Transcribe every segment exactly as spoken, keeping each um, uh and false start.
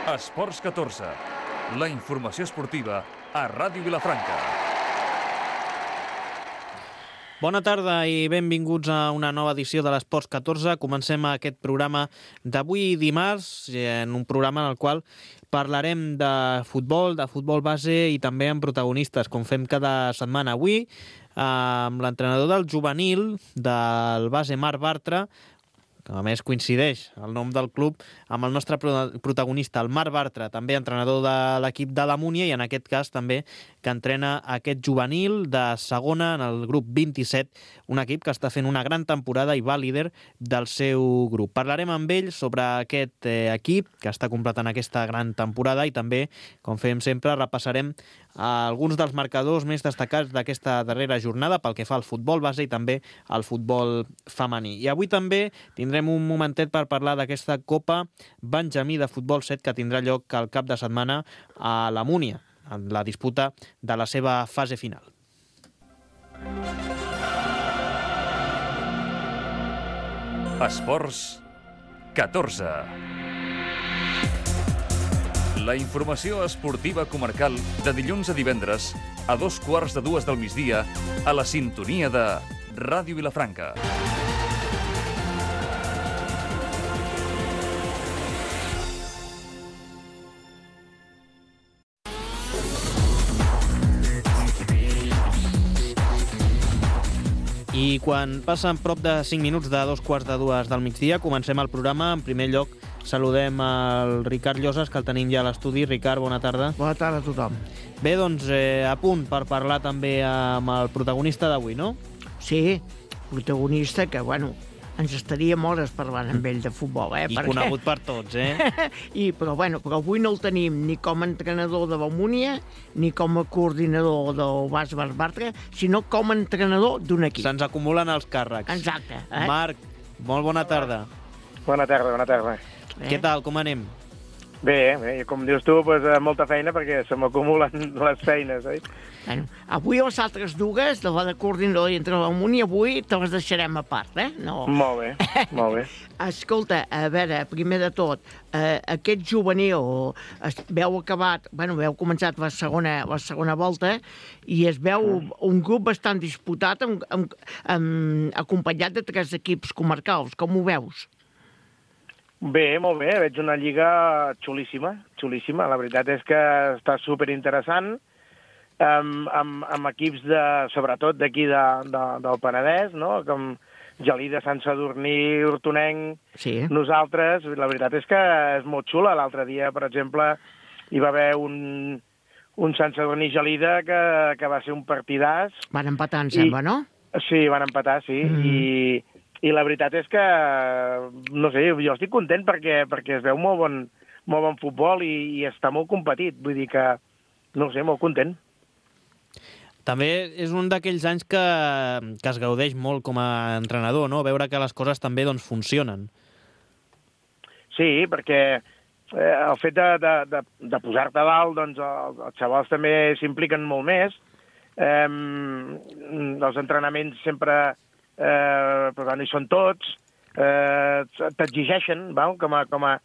Esports catorze, la informació esportiva a Ràdio Vilafranca. Bona tarda i benvinguts a una nova edició de l'Esports catorze. Comencem aquest programa d'avui dimarts, en un programa en el qual parlarem de futbol, de futbol base i també amb protagonistes, com fem cada setmana. Avui, amb l'entrenador del juvenil del base Marc Bartra, que a més coincideix el nom del club amb el nostre protagonista, el Marc Bartra, també entrenador de l'equip de la Múnia i en aquest cas també que entrena aquest juvenil de segona en el grup vint-i-set, un equip que està fent una gran temporada i va líder del seu grup. Parlarem amb ell sobre aquest eh, equip que està completant aquesta gran temporada i també, com fem sempre, repassarem alguns dels marcadors més destacats d'aquesta darrera jornada pel que fa al futbol base i també al futbol femení. I avui també tindrem un momentet per parlar d'aquesta Copa Benjamí de Futbol set que tindrà lloc al cap de setmana a la Múnia, en la disputa de la seva fase final. Esports catorze. La informació esportiva comarcal de dilluns a divendres a dos quarts de dues del migdia a la sintonia de Ràdio Vilafranca. I quan passen prop de cinc minuts de dos quarts de dues del migdia, comencem el programa. En primer lloc, saludem el Ricard Llosas, que el tenim ja a l'estudi. Ricard, bona tarda. Bona tarda a tothom. Bé, doncs, eh, a punt per parlar també amb el protagonista d'avui, no? Sí, protagonista que, bueno, ens estaríem hores parlant amb ell de futbol, eh? I perquè... conegut per tots, eh? I, però, bueno, però avui no el tenim ni com a entrenador de la Múnia, ni com a coordinador del Bas Marc Bartra, sinó com a entrenador d'un equip. Se'ns acumulen els càrrecs. Exacte. Eh? Marc, molt bona tarda. Bona tarda, bona tarda. Eh? Què tal, com anem? Bé, bé, com dius tu, doncs, molta feina perquè se m'acumulen les feines, oi? Bueno, avui les altres dues, de la de coordinador i entre la Múnia, avui te les deixarem a part, eh? No. Molt bé, molt bé. Escolta, a veure, primer de tot, eh, aquest juvenil, es, veu acabat, bueno, veu començat la segona, la segona volta i es veu un grup bastant disputat amb, amb, amb, acompanyat de tres equips comarcals. Com ho veus? Bé, molt bé, veig una lliga xulíssima, xulíssima. La veritat és que està superinteressant, amb, amb, amb equips, de, sobretot d'aquí de, de, del Penedès, no? Com Gelida, Sant Sadurní, Hortonenc, sí. Nosaltres. La veritat és que és molt xula. L'altre dia, per exemple, hi va haver un, un Sant Sadurní Gelida que, que va ser un partidàs. Van empatar, em I, sembla, no? Sí, van empatar, sí. Mm. I... I la veritat és que, no sé, jo estic content perquè, perquè es veu molt bon, molt bon futbol i, i està molt competit. Vull dir que, no sé, molt content. També és un d'aquells anys que, que es gaudeix molt com a entrenador, no? Veure que les coses també doncs, funcionen. Sí, perquè eh, el fet de, de, de, de posar-te a dalt, doncs els, els xavals també s'impliquen molt més. Eh, els entrenaments sempre... Eh, però bueno, hi són tots, eh, t'exigeixen, val? Com a, com a,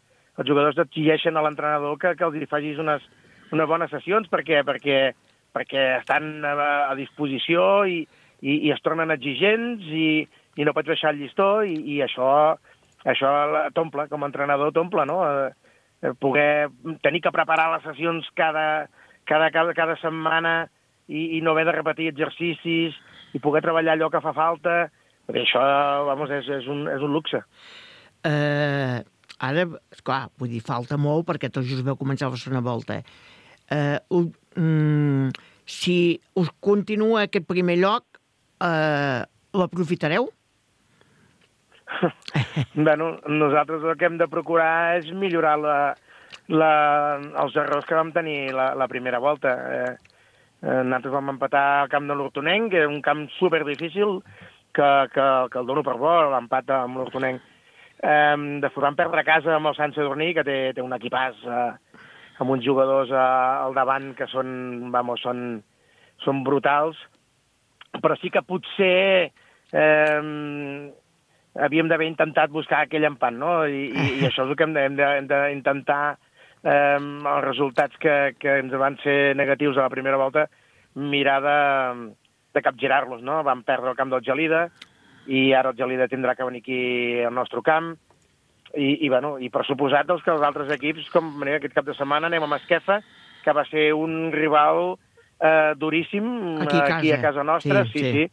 els jugadors t'exigeixen a l'entrenador que, que els facis unes, unes bones sessions perquè, perquè, perquè estan a, a disposició i, i, i es tornen exigents i, i no pots baixar el llistó i, i això, això t'omple, com a entrenador t'omple, no? Eh, poder tenir que preparar les sessions cada, cada, cada, cada setmana i, i no haver de repetir exercicis i poder treballar allò que fa falta. Perquè això, vamos, és, és, un, és un luxe. Eh, ara, esclar, vull dir, falta molt perquè tots us veu començar la segona volta. Eh, uh, mm, si us continua aquest primer lloc, eh, l'aprofitareu? Bueno, nosaltres el que hem de procurar és millorar la, la, els errors que vam tenir la, la primera volta. Eh, eh, nosaltres vam empatar al camp de l'Hortonenc, que era un camp superdifícil, que, que, que el dono per bo, l'empat amb l'Hortonenc. Eh, després vam perdre a casa amb el Sant Sadurní, que té, té un equipàs eh, amb uns jugadors eh, al davant que són, vamos, són, són brutals, però sí que potser eh, havíem d'haver intentat buscar aquell empat, no? I, i, i això és el que hem d'intentar eh, els resultats que, que ens van ser negatius a la primera volta, mirar de, de capgirar-los, no? Vam perdre el camp del Gelida i ara el Gelida tindrà que venir aquí al nostre camp i, i, bueno, i per suposat doncs, que els altres equips, com mira, aquest cap de setmana anem a Masquefa, que va ser un rival eh, duríssim aquí a casa, aquí a casa nostra, sí, sí, sí,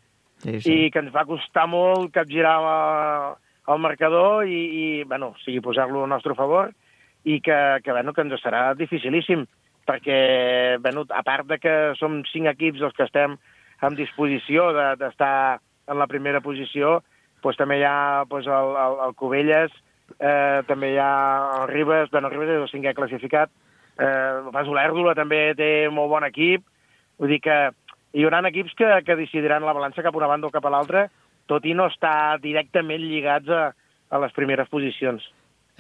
sí, sí. i que ens va costar molt capgirar el, el marcador i, i bueno, o sigui, posar-lo al nostre favor i que, que, bueno, que ens serà dificilíssim, perquè, bueno, a part de que som cinc equips els que estem en disposició d'estar de, en la primera posició, doncs també hi ha doncs, el, el, el Cubelles, eh, també hi ha el Ribes, bueno, el Ribes és el cinquè classificat, eh, el Pas Olèrdola també té molt bon equip, vull dir que hi haurà equips que, que decidiran la balança cap a una banda o cap a l'altra, tot i no estar directament lligats a, a les primeres posicions.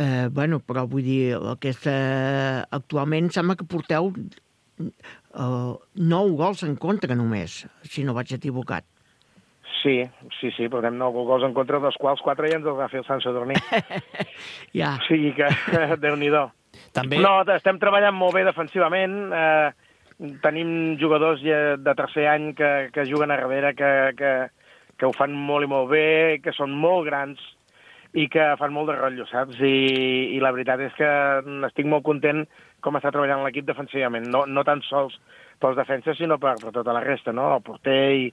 Eh, bueno, però vull dir, aquesta, actualment sembla que porteu eh, nou gols en contra només, si no vaig equivocat. Sí, sí, sí, portem nou gols en contra, dels quals quatre ja ens els va fer el Sant Sadurní. Ja. O sigui que, Déu-n'hi-do. També... No, estem treballant molt bé defensivament, eh, tenim jugadors de tercer any que, que juguen a darrere, que, que, que ho fan molt i molt bé, que són molt grans, i que fan molt de rotllo, saps? I, i la veritat és que estic molt content com està treballant l'equip defensivament, no, no tan sols pels defenses, sinó per, per tota la resta, no? El porter i,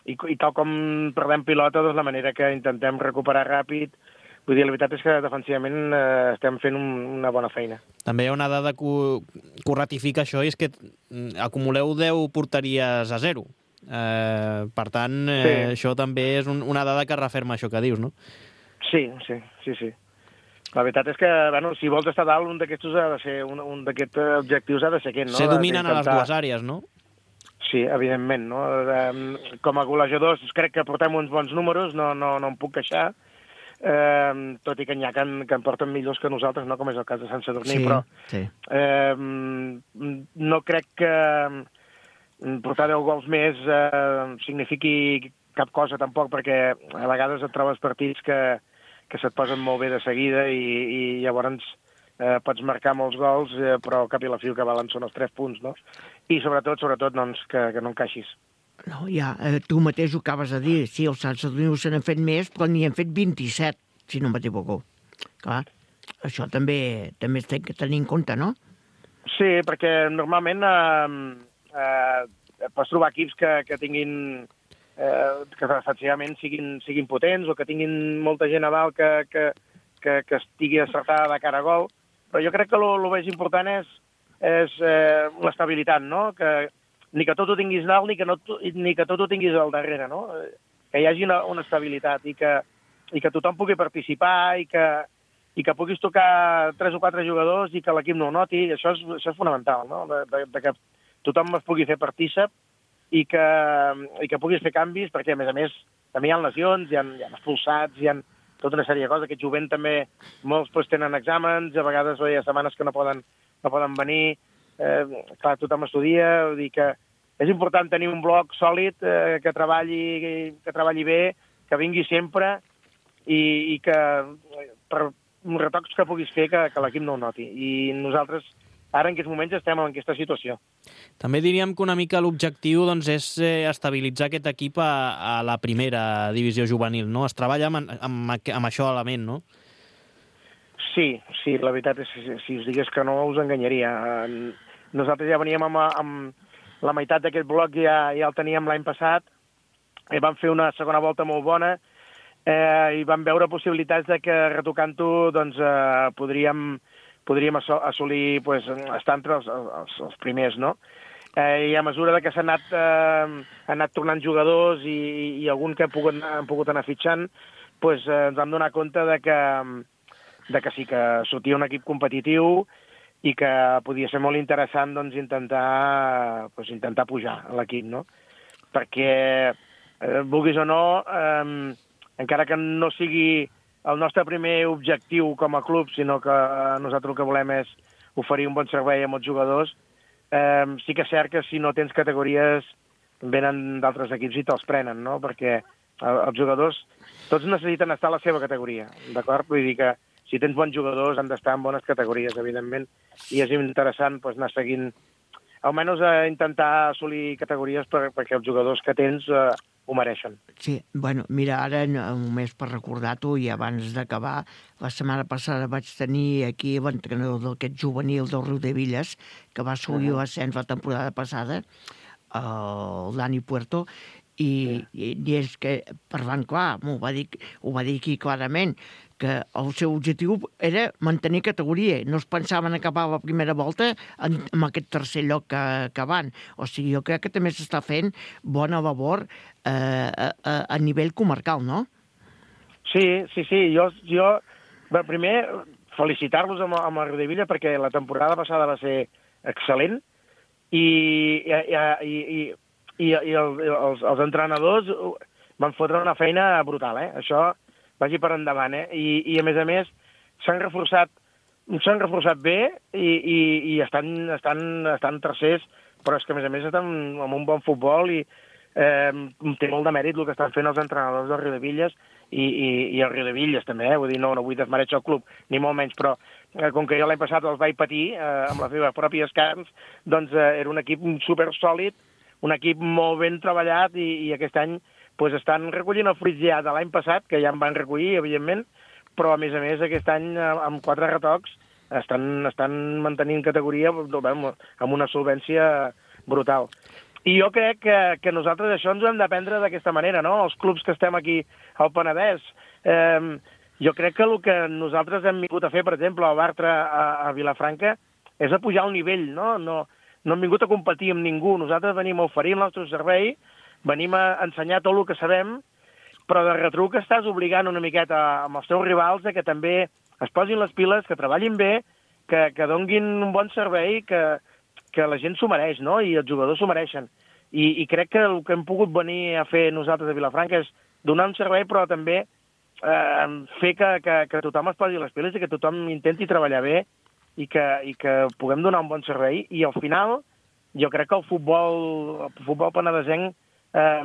i, i tal com perdem pilota, doncs la manera que intentem recuperar ràpid. Vull dir, la veritat és que defensivament eh, estem fent un, una bona feina. També hi ha una dada que ho, que ho ratifica això, i és que acumuleu deu porteries a zero. Eh, per tant, eh, Sí. això també és un, una dada que referma això que dius, no? Sí, sí, sí, sí. La veritat és que, bueno, si vols estar dalt, un d'aquests ha de ser, un, un d'aquests objectius ha de ser aquest, no? Se dominen a les Intentar... dues àrees, no? Sí, evidentment, no? Com a golejadors crec que portem uns bons números, no, no, no em puc queixar, eh, tot i que n'hi ha que en, que en porten millors que nosaltres, no? Com és el cas de Sant Sadurní, Sí, però sí. eh, no crec que portar deu gols més eh, signifiqui cap cosa tampoc, perquè a vegades et trobes partits que, que se't posen molt bé de seguida i, i llavors eh, pots marcar molts gols, eh, però al cap i la fi el que valen són els tres punts, no? I sobretot, sobretot, doncs, que, que no encaixis. No, ja, eh, tu mateix ho acabes de dir, sí, els Sant Sadurní se n'han fet més, però n'hi han fet vint-i-set, si no m'equivoco. Clar, això també també es té que tenir en compte, no? Sí, perquè normalment eh, eh, pots trobar equips que, que tinguin eh, que defensivament siguin, siguin potents o que tinguin molta gent a dalt que, que, que, que estigui acertada de cara a gol, però jo crec que el més important és, és eh, l'estabilitat, no? Que ni que tot ho tinguis dalt ni que, no, ni que tot ho tinguis al darrere, no? Que hi hagi una, una estabilitat i que, i que tothom pugui participar i que, i que puguis tocar tres o quatre jugadors i que l'equip no ho noti, això és, això és fonamental, no? De, de, de que tothom es pugui fer partícip i que, i que puguis fer canvis, perquè, a més a més, també hi ha lesions, hi ha, hi ha expulsats, hi ha tota una sèrie de coses. Aquest jovent també, molts pues, tenen exàmens, a vegades hi ha setmanes que no poden, no poden venir, eh, clar, tothom estudia, vull dir que és important tenir un bloc sòlid, eh, que, treballi, que treballi bé, que vingui sempre i, i que per retocs que puguis fer que, que l'equip no ho noti. I nosaltres ara en aquests moments estem en aquesta situació. També diríem que una mica l'objectiu doncs, és eh, estabilitzar aquest equip a, a la primera divisió juvenil, no? Es treballa amb, amb, amb això a la ment, no? Sí, sí, la veritat és que si us digués que no us enganyaria. Nosaltres ja veníem amb, amb la meitat d'aquest bloc, ja, ja el teníem l'any passat, i vam fer una segona volta molt bona, eh, i vam veure possibilitats de que retocant-ho doncs, eh, podríem, podríem assolir pues, estar entre els, els, els primers, no? Eh, I a mesura de que s'han anat, eh, han anat tornant jugadors i, i algun que han pogut, han pogut anar fitxant, pues, eh, ens vam donar compte de que, de que sí que sortia un equip competitiu i que podia ser molt interessant doncs, intentar, pues, intentar pujar a l'equip, no? Perquè, eh, vulguis o no, eh, encara que no sigui el nostre primer objectiu com a club, sinó que nosaltres el que volem és oferir un bon servei a molts jugadors, eh, sí que és cert que si no tens categories venen d'altres equips i te'ls prenen, no? Perquè els jugadors tots necessiten estar a la seva categoria, d'acord? Vull dir que si tens bons jugadors han d'estar en bones categories, evidentment, i és interessant pues, anar seguint, almenys a intentar assolir categories per, perquè els jugadors que tens eh, ho mereixen. Sí, bueno, mira, ara només per recordar-t'ho i abans d'acabar, la setmana passada vaig tenir aquí l'entrenador d'aquest juvenil del Riudebitlles, que va assolir uh -huh. l'ascens la temporada passada, el Dani Puerto, i, sí. i, i és que, parlant clar, ho va dir, ho va dir aquí clarament, que el seu objectiu era mantenir categoria. No es pensaven acabar la primera volta en, amb aquest tercer lloc que, que van. O sigui, jo crec que també s'està fent bona labor eh, a, a, a nivell comarcal, no? Sí, sí, sí. Jo, jo bé, primer, felicitar-los amb, amb el Riudebitlles perquè la temporada passada va ser excel·lent i, i, i, i, i, i el, els, els entrenadors van fotre una feina brutal, eh? Això vagi per endavant, eh? I, i a més a més s'han reforçat s'han reforçat bé i, i, i estan, estan, estan tercers, però és que a més a més estan amb un bon futbol i eh, té molt de mèrit el que estan fent els entrenadors del Riudebitlles i, i, i el Riudebitlles també, eh? Vull dir, no, no vull desmereixer el club, ni molt menys, però eh, com que jo l'any passat els vaig patir eh, amb les meves pròpies carns, doncs eh, era un equip super sòlid, un equip molt ben treballat i, i aquest any pues estan recollint el fruits ja de l'any passat, que ja en van recollir, evidentment, però a més a més aquest any amb quatre retocs estan, estan mantenint categoria amb una solvència brutal. I jo crec que, que nosaltres això ens ho hem d'aprendre d'aquesta manera, no? Els clubs que estem aquí al Penedès. Eh, jo crec que el que nosaltres hem vingut a fer, per exemple, al Bartra a, a Vilafranca, és a pujar el nivell, no? No, no hem vingut a competir amb ningú. Nosaltres venim a oferir el nostre servei, venim a ensenyar tot el que sabem, però de retruc estàs obligant una miqueta amb els teus rivals que també es posin les piles, que treballin bé, que, que donguin un bon servei, que, que la gent s'ho mereix, no? I els jugadors s'ho mereixen. I, I crec que el que hem pogut venir a fer nosaltres a Vilafranca és donar un servei, però també eh, fer que, que, que tothom es posi les piles i que tothom intenti treballar bé i que, i que puguem donar un bon servei. I al final, jo crec que el futbol, el futbol penedesenc Eh,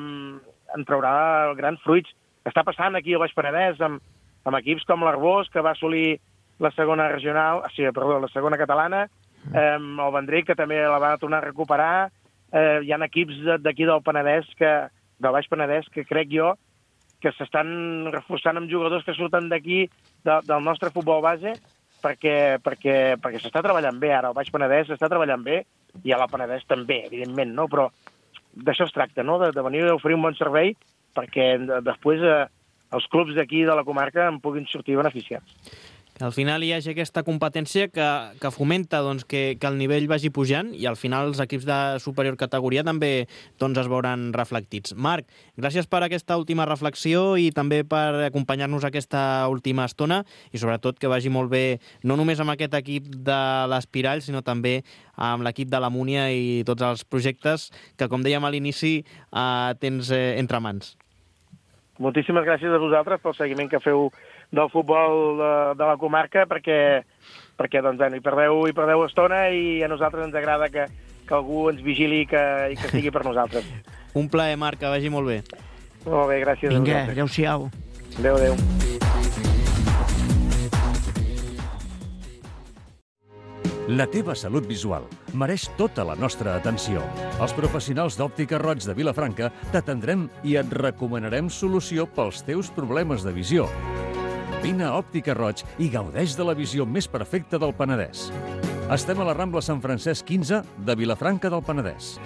en traurà grans fruits. Està passant aquí al Baix Penedès amb, amb equips com l'Arbós, que va assolir la segona regional, o sigui, perdó, la segona catalana, eh, el Vendrell, que també la va tornar a recuperar. Eh, hi ha equips d'aquí del Penedès, que, del Baix Penedès, que crec jo que s'estan reforçant amb jugadors que surten d'aquí, de, del nostre futbol base, perquè, perquè, perquè s'està treballant bé ara. El Baix Penedès s'està treballant bé, i a la Penedès també, evidentment, no? Però d'això es tracta, no? De, de venir a oferir un bon servei perquè de, després eh, els clubs d'aquí de la comarca en puguin sortir beneficiats. Que al final hi hagi aquesta competència que, que fomenta doncs, que, que el nivell vagi pujant i al final els equips de superior categoria també doncs, es veuran reflectits. Marc, gràcies per aquesta última reflexió i també per acompanyar-nos aquesta última estona i sobretot que vagi molt bé no només amb aquest equip de l'Espirall sinó també amb l'equip de la Múnia i tots els projectes que, com dèiem a l'inici, eh, tens eh, entre mans. Moltíssimes gràcies a vosaltres pel seguiment que feu del futbol de, de la comarca, perquè, perquè doncs, bueno, hi, perdeu, hi perdeu estona i a nosaltres ens agrada que, que algú ens vigili i que, i que estigui per nosaltres. Un plaer, Marc, que vagi molt bé. Molt bé, gràcies. Vinga, adéu-siau. Adéu, adéu. La teva salut visual mereix tota la nostra atenció. Els professionals d'Òptica Roig de Vilafranca t'atendrem i et recomanarem solució pels teus problemes de visió. Vine a Òptica Roig i gaudeix de la visió més perfecta del Penedès. Estem a la Rambla Sant Francesc quinze de Vilafranca del Penedès.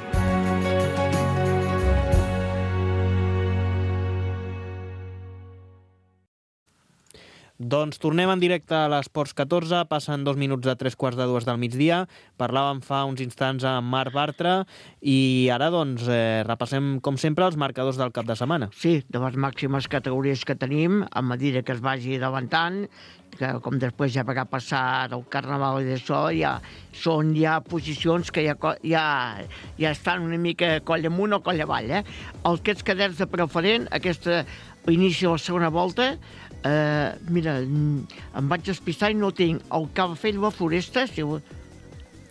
Doncs tornem en directe a l'Esports catorze, passen dos minuts de tres quarts de dues del migdia. Parlàvem fa uns instants amb Marc Bartra i ara doncs eh, repassem com sempre els marcadors del cap de setmana. Sí, de les màximes categories que tenim, a mesura que es vagi davantant, que com després ja va passar el Carnaval i d'això, ja són ja posicions que ja, ja, ja estan una mica coll amunt o coll avall. Eh? Aquests cadets de preferent, aquesta inici de la segona volta, Uh, mira, em vaig despistar i no tinc el Calafell la Foresta, si...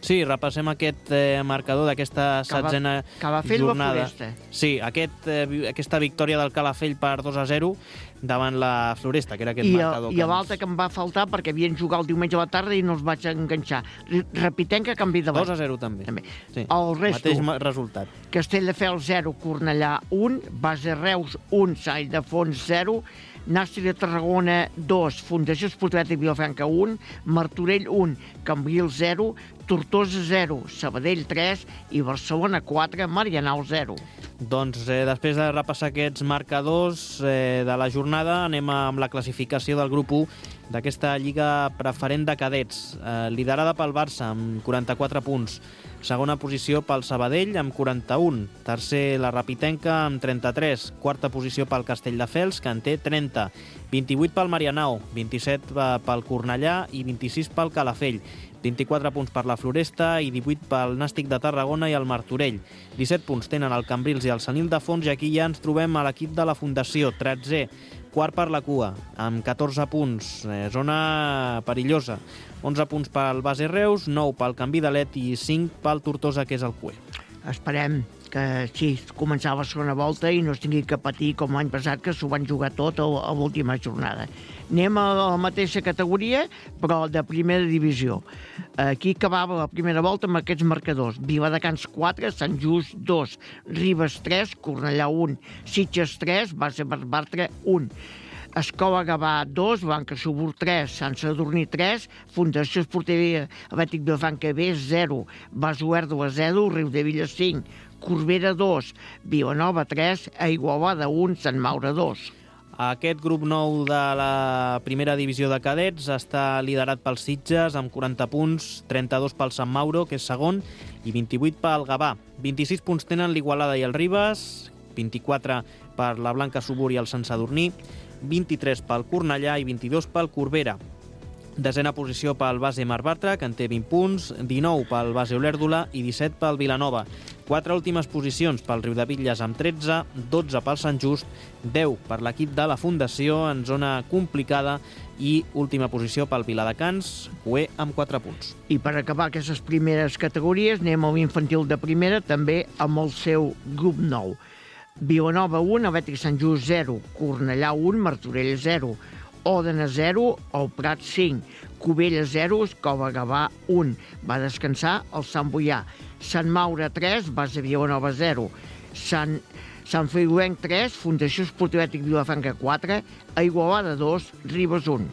Sí, repassem aquest eh, marcador d'aquesta setzena Calafell jornada. Floresta. Sí, aquest, eh, aquesta victòria del Calafell per dos a zero davant la Floresta, que era aquest I, marcador. I l'altre que em va faltar perquè havien jugat el diumenge a la tarda i no els vaig enganxar. Repitem que canvi de dos a zero també. també. Sí. El resto, Mateix resultat. Castelldefels zero, Cornellà un, Base Reus un, Sant Ildefons zero, Nàstic de Tarragona dos, Fundació Esportiva de Vilafranca un, Martorell un, Cambrils zero, Tortosa zero, Sabadell tres i Barcelona quatre, Marianao zero. Doncs eh, després de repassar aquests marcadors eh, de la jornada, anem amb la classificació del grup u d'aquesta Lliga Preferent de Cadets, eh, liderada pel Barça amb quaranta-quatre punts. Segona posició pel Sabadell amb quaranta-un. Tercer, la Rapitenca amb trenta-tres. Quarta posició pel Castelldefels, que en té trenta. vint-i-vuit pel Marianao, vint-i-set pel Cornellà i vint-i-sis pel Calafell. vint-i-quatre punts per la Floresta i divuit pel Nàstic de Tarragona i el Martorell. disset punts tenen el Cambrils i el Sant Ildefons, i aquí ja ens trobem a l'equip de la Fundació, tretzè, quart per la cua, amb catorze punts, eh, zona perillosa. onze punts pel Base Reus, nou pel Canvi d'Alet i cinc pel Tortosa, que és el Cué. Esperem que sí, començava la segona volta i no es tingui que patir com l'any passat, que s'ho van jugar tot a, a l'última jornada. Anem a la mateixa categoria, però de primera divisió. Aquí acabava la primera volta amb aquests marcadors. Viladecans quatre, Sant Just dos, Ribes tres, Cornellà un, Sitges tres, Base Bartra un. Escola Gavà dos, Blanca Subur tres, Sant Sadurní tres, Fundació Esportiva Atlètic Vilafranca B zero, Basuerdo zero, Riudevilla cinc, Corbera dos, Vilanova tres, Igualada un, Sant Maure dos. Aquest grup nou de la primera divisió de cadets està liderat pels Sitges amb quaranta punts, trenta-dos pel Sant Mauro, que és segon, i vint-i-vuit pel Gavà. vint-i-sis punts tenen l'Igualada i el Ribes, vint-i-quatre per la Blanca Subur i el Sant Sadurní, vint-i-tres pel Cornellà i vint-i-dos pel Corbera. Desena posició pel Base Mar Bartra, que en té vint punts, dinou pel Base Olèrdola i disset pel Vilanova. Quatre últimes posicions pel Riudebitlles amb tretze, dotze pel Sant Just, deu per l'equip de la Fundació en zona complicada i última posició pel Viladecans, Cué amb quatre punts. I per acabar aquestes primeres categories anem a l'infantil de primera, també amb el seu grup nou. Vilanova un, Atlètic Sant Just zero, Cornellà un, Martorell zero, Òdena zero, el Prat cinc, Cubella zero, Escola Gavà un. Va descansar el Sant Boià. Sant Maure tres, Base Vilanova zero, Sant, Sant Feliuenc tres, Fundació Esportiva Atlètic Vilafranca quatre, Igualada dos, Ribes un.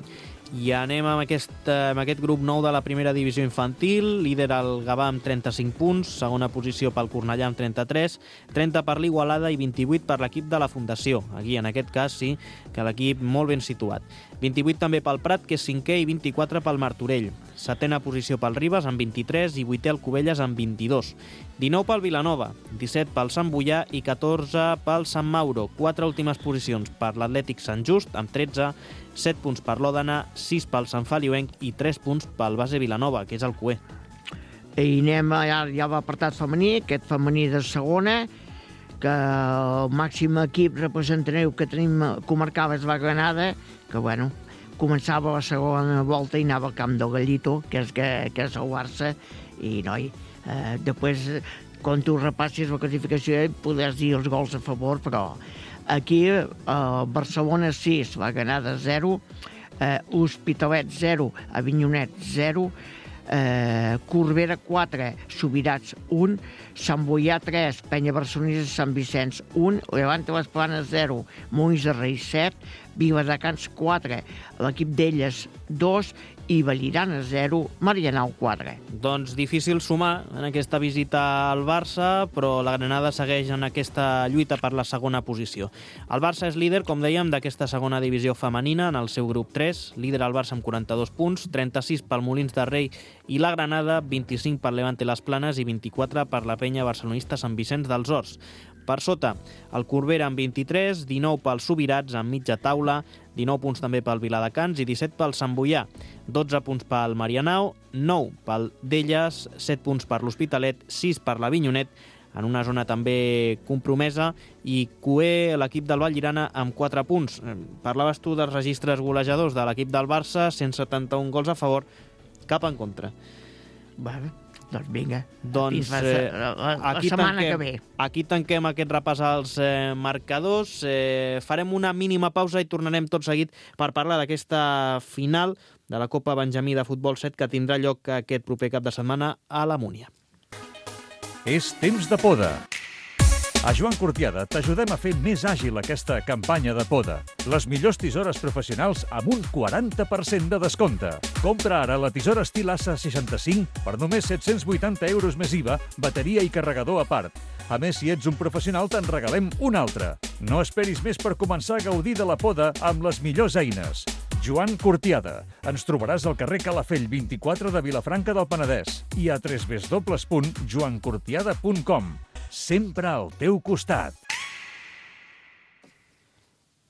I anem amb aquest, amb aquest grup nou de la primera divisió infantil, líder el Gavà amb trenta-cinc punts, segona posició pel Cornellà amb trenta-tres, trenta per l'Igualada i vint-i-vuit per l'equip de la Fundació. Aquí, en aquest cas, sí, que l'equip molt ben situat. vint-i-vuit també pel Prat, que és cinquè, i vint-i-quatre pel Martorell. Setena posició pel Ribes amb vint-i-tres i vuitè el Cubelles amb vint-i-dos. dinou pel Vilanova, disset pel Sant Boià i catorze pel Sant Mauro. Quatre últimes posicions per l'Atlètic Sant Just amb tretze, set punts per l'Òdena, sis pel Sant Feliuenc i tres punts pel Base Vilanova, que és el Cué. I anem ja, ja a l'apartat femení, aquest femení de segona, que el màxim equip representatiu que tenim comarcal és la Granada, que bueno, començava la segona volta i anava al camp del Gallito, que és, que, que és el Barça, i noi, eh, després, quan tu repassis la classificació, podràs dir els gols a favor, però aquí eh, Barcelona sis, la Granada zero, eh, Hospitalet zero, Avinyonet zero, eh, Corbera quatre, Subirats un, Sant Boià tres, Penya Barcelonesa Sant Vicenç un, Levante les Planes zero, Molins de Rei set, Viladecans quatre, l'equip d'elles dos i Vallirana zero, Marianao quatre. Doncs difícil sumar en aquesta visita al Barça, però la Granada segueix en aquesta lluita per la segona posició. El Barça és líder, com dèiem, d'aquesta segona divisió femenina en el seu grup tres, líder el Barça amb quaranta-dos punts, trenta-sis pel Molins de Rei i la Granada, vint-i-cinc per Levante les Planes i vint-i-quatre per la Penya Barcelonista Sant Vicenç dels Horts. Per sota, el Corbera amb vint-i-tres, dinou pels Subirats amb mitja taula, dinou punts també pel Viladecans i disset pel Sant Boià, dotze punts pel Marianao, nou pel d'Elles, set punts per l'Hospitalet, sis per l'Avinyonet, en una zona també compromesa, i Cué, l'equip del Vallirana, amb quatre punts. Parlaves tu dels registres golejadors de l'equip del Barça, cent setanta-un gols a favor, cap en contra. Bueno, Doncs vinga, Doncs, fins la, eh, la, la, la aquí setmana tanquem, que ve. Aquí tanquem aquest repàs als eh, marcadors. Eh, farem una mínima pausa i tornarem tot seguit per parlar d'aquesta final de la Copa Benjamí de Futbol set que tindrà lloc aquest proper cap de setmana a la Múnia. És temps de poda. A Joan Cortiada t'ajudem a fer més àgil aquesta campanya de poda. Les millors tisores professionals amb un quaranta per cent de descompte. Compra ara la tisora estil A S A seixanta-cinc per només set-cents vuitanta euros més I V A, bateria i carregador a part. A més, si ets un professional, te'n regalem una altra. No esperis més per començar a gaudir de la poda amb les millors eines. Joan Cortiada. Ens trobaràs al carrer Calafell vint-i-quatre de Vilafranca del Penedès i a w w w punt joan cortiada punt com. Sempre al teu costat.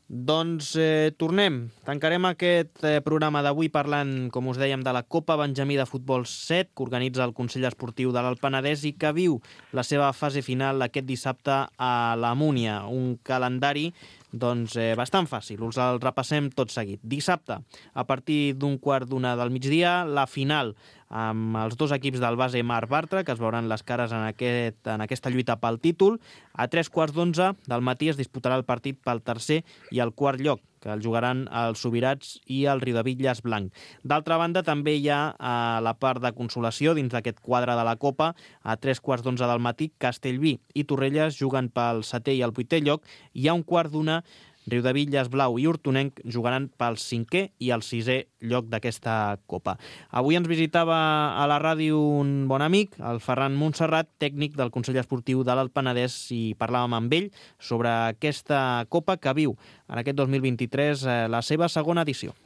Doncs eh, tornem. Tancarem aquest eh, programa d'avui parlant, com us dèiem, de la Copa Benjamí de Futbol set, que organitza el Consell Esportiu de l'Alt Penedès i que viu la seva fase final aquest dissabte a la Múnia. Un calendari doncs, eh, bastant fàcil. Us el repassem tot seguit. Dissabte, a partir d'un quart d'una del migdia, la final amb els dos equips del base Mar Bartra, que es veuran les cares en, aquest, en aquesta lluita pel títol. A tres quarts d'onze del matí es disputarà el partit pel tercer i el quart lloc, que el jugaran els Subirats i el Riudebitlles Blanc. D'altra banda, també hi ha a la part de consolació, dins d'aquest quadre de la Copa, a tres quarts d'onze del matí, Castellví i Torrelles juguen pel setè i el vuitè lloc, i a un quart d'una, Riudebitlles Blau i Hortonenc jugaran pel cinquè i el sisè lloc d'aquesta Copa. Avui ens visitava a la ràdio un bon amic, el Ferran Montserrat, tècnic del Consell Esportiu de l'Alt Penedès, i parlàvem amb ell sobre aquesta Copa que viu en aquest dos mil vint-i-tres eh, la seva segona edició.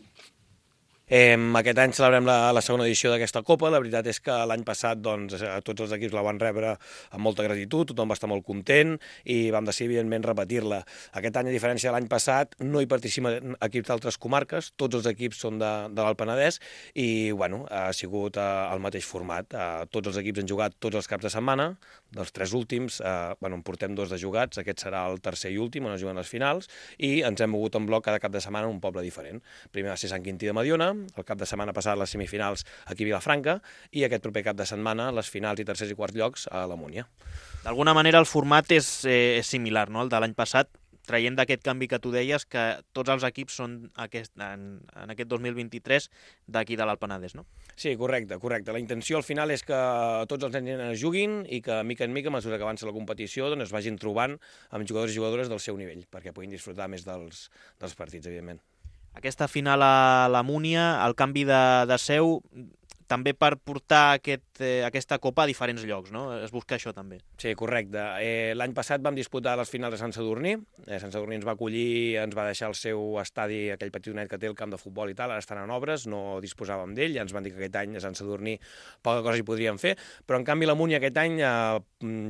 Eh, aquest any celebrem la, la segona edició d'aquesta Copa. La veritat és que l'any passat doncs, tots els equips la van rebre amb molta gratitud, tothom va estar molt content i vam decidir, evidentment, repetir-la. Aquest any, a diferència de l'any passat, no hi participen equips d'altres comarques, tots els equips són de, de l'Alt Penedès i bueno, ha sigut eh, el mateix format. Eh, tots els equips han jugat tots els caps de setmana, dels tres últims, eh, bueno, en portem dos de jugats, aquest serà el tercer i últim, on es juguen les finals, i ens hem mogut en bloc cada cap de setmana en un poble diferent. Primer va ser Sant Quintí de Mediona, el cap de setmana passat les semifinals aquí a Vilafranca i aquest proper cap de setmana les finals i tercers i quarts llocs a la Múnia. D'alguna manera el format és, eh, és similar, no?, al de l'any passat, traient d'aquest canvi que tu deies, que tots els equips són aquest, en, en aquest dos mil vint-i-tres d'aquí de l'Alt Penedès, no? Sí, correcte, correcte. La intenció al final és que tots els nens es juguin i que, mica en mica, a mesura que avança la competició, doncs es vagin trobant amb jugadors i jugadores del seu nivell, perquè puguin disfrutar més dels, dels partits, evidentment. Aquesta final a la Múnia, el canvi de, de seu, també per portar aquest, eh, aquesta Copa a diferents llocs, no? Es busca això també. Sí, correcte. Eh, L'any passat vam disputar les finals a Sant Sadurní. Eh, Sant Sadurní ens va acollir, ens va deixar el seu estadi, aquell petitonet que té el camp de futbol i tal, ara estan en obres, no disposàvem d'ell, ja ens van dir que aquest any a Sant Sadurní poca cosa hi podríem fer, però en canvi la Múnia aquest any eh,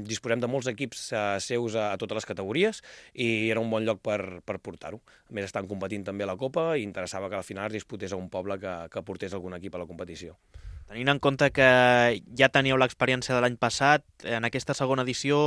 disposem de molts equips eh, seus a, a totes les categories i era un bon lloc per, per portar-ho. A més, estan competint també a la Copa i interessava que al final es disputés a un poble que, que portés algun equip a la competició. Tenint en compte que ja teníeu l'experiència de l'any passat, en aquesta segona edició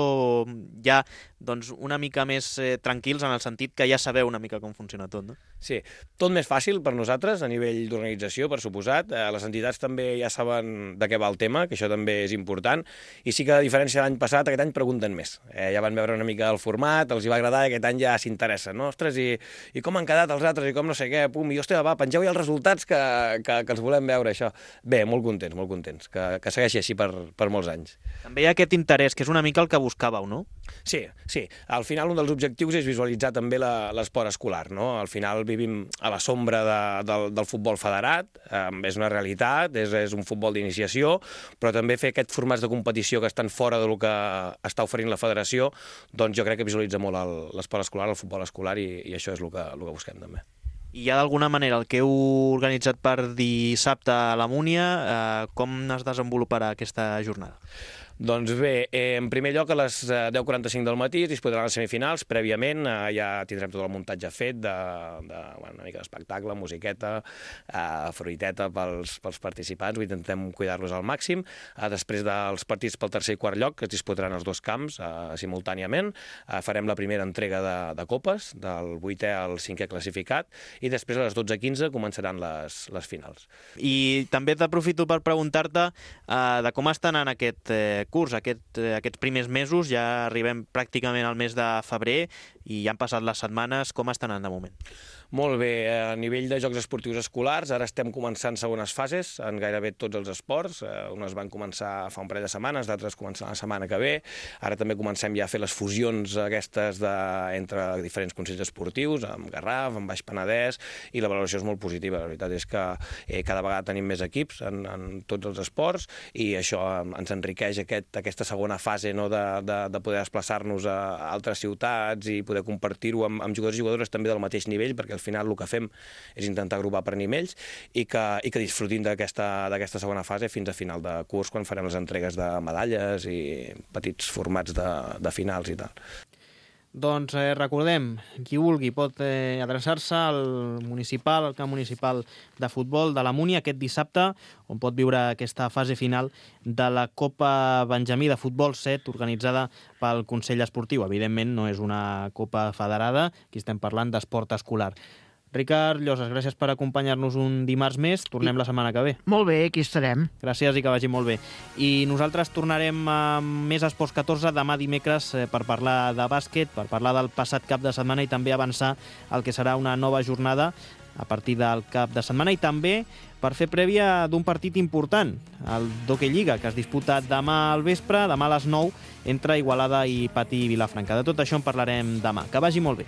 ja doncs, una mica més eh, tranquils en el sentit que ja sabeu una mica com funciona tot, no? Sí, tot més fàcil per nosaltres a nivell d'organització, per suposat. Eh, les entitats també ja saben de què va el tema, que això també és important, i sí que a diferència de l'any passat, aquest any pregunten més. Eh, ja van veure una mica el format, els hi va agradar i aquest any ja s'interessen, no? Ostres, i, i com han quedat els altres, i com no sé què, pum, i hòstia, va, pengeu ja els resultats que, que, que els volem veure, això. Bé, molt contents, molt contents, que, que segueixi així per, per molts anys. També hi ha aquest interès, que és una mica el que buscàveu, no? Sí, sí. Al final un dels objectius és visualitzar també l'esport escolar, no? Al final vivim a la sombra de, del, del futbol federat, eh, és una realitat, és, és un futbol d'iniciació, però també fer aquests formats de competició que estan fora del que està oferint la federació, doncs jo crec que visualitza molt l'esport escolar, el futbol escolar, i, i això és el que, el que busquem també. I ja d'alguna manera el que heu organitzat per dissabte a la Múnia, eh, com es desenvoluparà aquesta jornada? Doncs bé, eh, en primer lloc a les deu quaranta-cinc del matí es disputaran les semifinals. Prèviament eh, ja tindrem tot el muntatge fet de, de bueno, una mica d'espectacle, musiqueta, eh, fruiteta pels, pels participants. Ho intentem cuidar-los al màxim. Eh, després dels partits pel tercer i quart lloc, que es disputaran els dos camps eh, simultàniament, eh, farem la primera entrega de, de copes, del vuitè al cinquè classificat, i després a les dotze quinze començaran les, les finals. I també t'aprofito per preguntar-te eh, de com estan en aquest eh, curs, aquest, eh, aquests primers mesos. Ja arribem pràcticament al mes de febrer i ja han passat les setmanes. Com estan de moment? Molt bé, a nivell de jocs esportius escolars, ara estem començant segones fases en gairebé tots els esports. Unes van començar fa un parell de setmanes, d'altres començaran la setmana que ve. Ara també comencem ja a fer les fusions aquestes de, entre diferents consells esportius, amb Garraf, amb Baix Penedès, i la valoració és molt positiva. La veritat és que eh, cada vegada tenim més equips en, en tots els esports i això ens enriqueix aquest, aquesta segona fase, no, de, de, de poder desplaçar-nos a altres ciutats i poder compartir-ho amb, amb jugadors i jugadores també del mateix nivell, perquè al final el que fem és intentar agrupar per nivells i que, i que disfrutin d'aquesta d'aquesta segona fase fins a final de curs, quan farem les entregues de medalles i petits formats de, de finals i tal. Doncs eh, recordem, qui vulgui pot eh, adreçar-se al municipal, al camp municipal de futbol de la Múnia aquest dissabte, on pot viure aquesta fase final de la Copa Benjamí de Futbol set, organitzada pel Consell Esportiu. Evidentment no és una copa federada, aquí estem parlant d'esport escolar. Ricard Llosas, gràcies per acompanyar-nos un dimarts més. Tornem I... la setmana que ve. Molt bé, aquí estarem. Gràcies i que vagi molt bé. I nosaltres tornarem amb més Esports catorze demà dimecres per parlar de bàsquet, per parlar del passat cap de setmana i també avançar el que serà una nova jornada a partir del cap de setmana i també per fer prèvia d'un partit important, el d'Hockey Lliga, que es disputa demà al vespre, demà a les nou, entre Igualada i Patí Vilafranca. De tot això en parlarem demà. Que vagi molt bé.